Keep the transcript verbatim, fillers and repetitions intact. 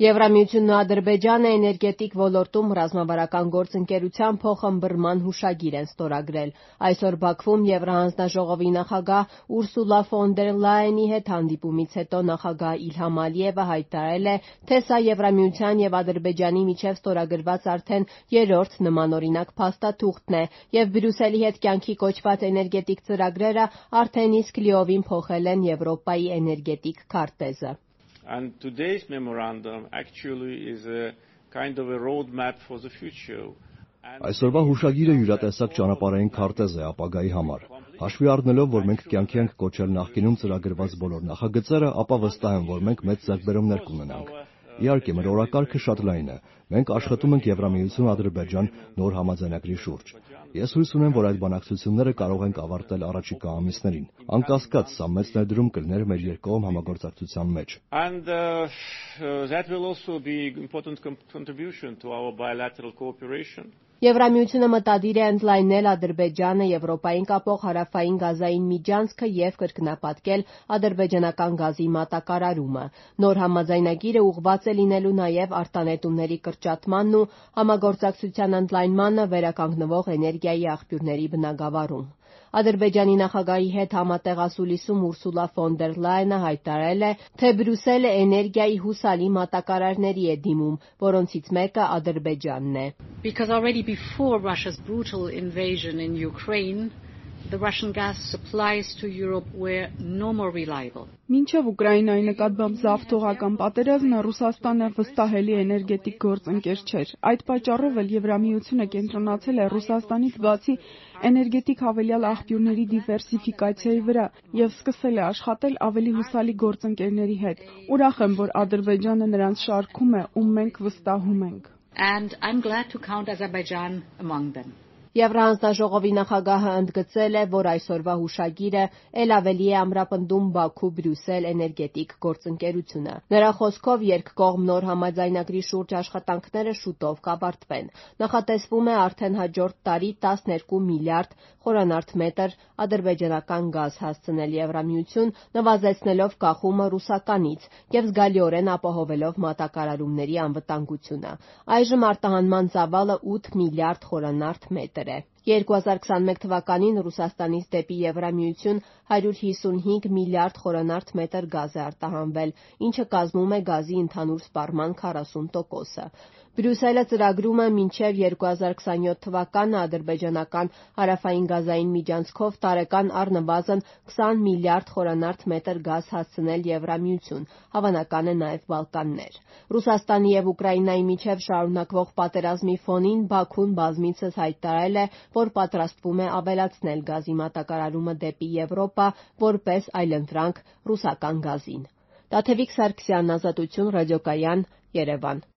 Եվրամիությունն ու Ադրբեջանը էներգետիկ ոլորտում ռազմավարական գործընկերության փոխըմբռնման հուշագիր են ստորագրել։ Այսօր Բաքվում Եվրահանձնաժողովի նախագահ Ուրսուլա ֆոն դեր Լայենի հետ հանդիպումից հետո նախագահ Իլհամ Ալիևը հայտարարել է, թե սա Եվրամիության եւ Ադրբեջանի միջեւ ստորագրված արդեն երրորդ նմանօրինակ փաստաթուղթն է, եւ Բրյուսելի հետ կյանքի կոչված էներգետիկ ծրագրերը արդեն իսկ լիովին փոխել են Եվրոպայի էներգետիկ քարտեզը։ And today's memorandum actually is a kind of a roadmap for the future. Այսօրվա հուշագիրը յուրատեսակ ճանապարհային քարտեզ է ապագայի համար։ Հաշվի առնելով, որ մենք կյանքի ենք կոչել նախկինում ծրագրված բոլոր նախագծերը, ապա վստահ եմ, որ մենք մեծ ձեռքբերումներ կունենանք։ Իհարկե, մեր օրակարգը շատ լայն է։ Մենք աշխատում ենք Եվրամիություն-Ադրբեջան նոր համաձայնագրի շուրջ։ Ես հույս ունեմ, որ այդ բանակցությունները կարող ենք ավարտել առաջիկա ամիսներին։ Անկասկած, սա մեծ ներդրում կլներ մեր երկկողմ համագործակցության մեջ։ And uh, uh, that will also be an important contribution to our bilateral cooperation. Եվրամիությունը մտադիր է ընդլայնել Ադրբեջանը Եվրոպային կապող հարավային գազային միջանցքը եւ կրկնապատկել ադրբեջանական գազի մատակարարումը։ Նոր համաձայնագիրը ուղղված է լինելու նաեւ արտանետումների կրճատմանն ու համագործակցության ընդլայնմանը վերականգնվող էներգիայի աղբյուրների բնագավառում։ Ադրբեջանի նախագահի հետ համատեղ ասուլիսում Ուրսուլա ֆոն դեր Լայենը հայտարարել է, թե Բրյուսելը էներգիայի հուսալի մատակարարների է դիմում, որոնցից մեկը Ադրբեջանն է։ Because already before Russia's brutal invasion in Ukraine, the Russian gas supplies to Europe were no more reliable. Մինչև Ուկրաինայի նկատմամբ զավթողական պատերազմը Ռուսաստանը վստահելի էներգետիկ գործընկեր չէր։ Այդ պատճառով էլ Եվրամիությունը կենտրոնացել է Ռուսաստանից բացի էներգետիկ հավելյալ աղբյուրների դիվերսիֆիկացիայի վրա եւ սկսել է աշխատել ավելի հուսալի գործընկերների հետ։ Ուրախ եմ, որ Ադրբեջանը նրանց շարքում է, ում մենք վստահում ենք։ And I'm glad to count Azerbaijan among them. Եվրահանձնաժողովի նախագահը ընդգծել է, որ այսօրվա հուշագիրը ել ավելի է ամրապնդում Բաքու-Բրյուսել էներգետիկ գործընկերությունը։ Նրա խոսքով երկկողմ նոր համաձայնագրի շուրջ աշխատանքները շուտով կավարտվեն։ Նախատեսվում է արդեն հաջորդ տարի տասներկու միլիարդ խորանարդ մետր ադրբեջանական գազ հասցնել Եվրամիություն, նվազեցնելով կախումը ռուսականից եւ զգալիորեն ապահովելով մատակարարումների անվտանգությունը։ Այժմ արտահանման ծավալը ութ միլիարդ խորանարդ մետր է։ երկու հազար քսանմեկ թվականին Ռուսաստանից դեպի Եվրամիություն հարյուր հիսունհինգ միլիարդ խորանարդ մետր գազ է արտահանվել, ինչը կազմում է գազի ընդհանուր սպառման քառասուն տոկոսը։ Բրյուսելը ծրագրում է մինչև երկու հազար քսանյոթ թվականը ադրբեջանական հարավային գազային միջանցքով տարեկան առնվազն քսան միլիարդ խորանարդ մետր գազ հասցնել Եվրամիություն, հավանական է նաև Բալկաններ։ Ռուսաստանի եւ Ուկրաինայի միջև շարունակվող պատերազմի ֆոնին Բաքուն բազմիցս հայտարարել է, որ պատրաստվում է ավելացնել գազի մատակարարումը դեպի Եվրոպա որպես այլընտրանք ռուսական գազին։ Տաթևիկ Սարգսյան, Ազատություն, Ռադիոկայան, Երևան։